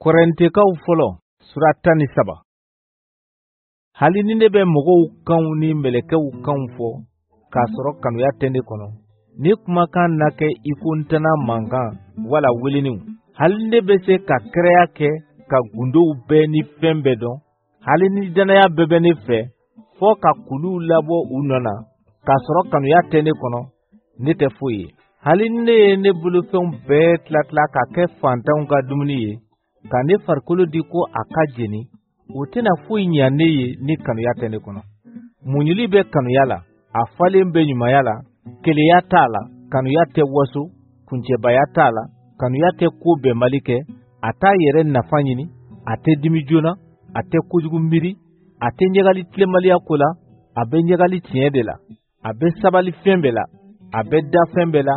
Kɔrɛntekaw fɔlɔ sura 13. Hali ni ne bɛ mɔgɔw kanw ni mɛlɛkɛw kanw fɔ k'a sɔrɔ kanuya tɛ ne kɔnɔ, ne kumakan na kɛ i ko ntana mankan wala weleniw. Hali ne bɛ se ka kiraya kɛ ka gundow bɛɛ ni fɛn bɛɛ dɔn, hali ni dannaya bɛɛ bɛ ne fɛ fɔ ka kuluw labɔ u nɔ na, k'a sɔrɔ kanuya tɛ ne kɔnɔ, ne tɛ foyi ye. Hali ni ne ye ne bolofɛnw bɛɛ tilatila ka kɛ faantanw ka dumuni ye, ka ne farikolo di ko a ka jeni, o tɛna foyi ɲa ne ye ni kanuya tɛ ne kɔnɔ. Muɲuli bɛ kanuya la, a falen bɛ ɲumanya la, keleya t'a la, kanuya tɛ waso, kuncɛbaya t'a la, kanuya tɛ ko bɛnbali kɛ, a t'a yɛrɛ nafa ɲini, a tɛ dimi joona, a tɛ kojugu miiri, a tɛ ɲagali tilenbaliya ko la, a bɛ ɲagali tiɲɛ de la. A bɛ sabali fɛn bɛɛ la, a bɛ da fɛn bɛɛ la,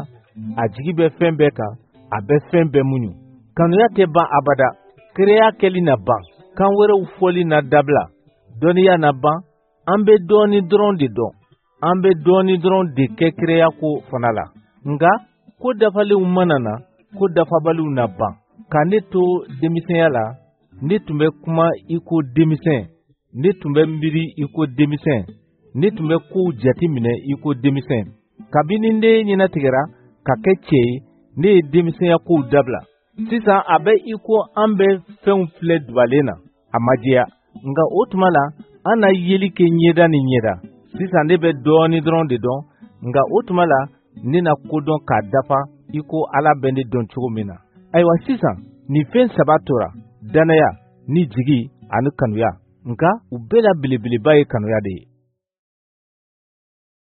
a jigi bɛ fɛn bɛɛ kan, a bɛ fɛn bɛɛ muɲu. Kanuya tɛ ban abada, kiraya kɛli na ban, kan wɛrɛw fɔli na dabila, dɔnniya na ban. An bɛ dɔɔnin dɔrɔn de dɔn, an bɛ dɔɔnin dɔrɔn de kɛ kiraya ko fana la. Nka ko dafalenw mana na, ko dafabaliw na ban. Ka ne to denmisɛnya la, ne tun bɛ kuma i ko denmisɛn, ne tun bɛ miiri i ko denmisɛn, ne tun bɛ kow jate minɛ i ko denmisɛn. Kabini ne ɲɛnatigɛra ka kɛ cɛ ye, ne ye denmisɛnya kow dabila. Sisan a bɛ i ko an bɛ fɛnw filɛ dubalen na, a ma jɛya. Nka o tuma la, an na yeli kɛ ɲɛda ni ɲɛda. Sisan ne bɛ dɔɔnin dɔrɔn de dɔn, nka o tuma la, ne na ko dɔn k'a dafa i ko Ala bɛ ne dɔn cogo min na. Ayiwa sisan, nin fɛn saba tora: dannaya ni jigi ani kanuya. Nka u bɛɛ la belebeleba ye kanuya de ye.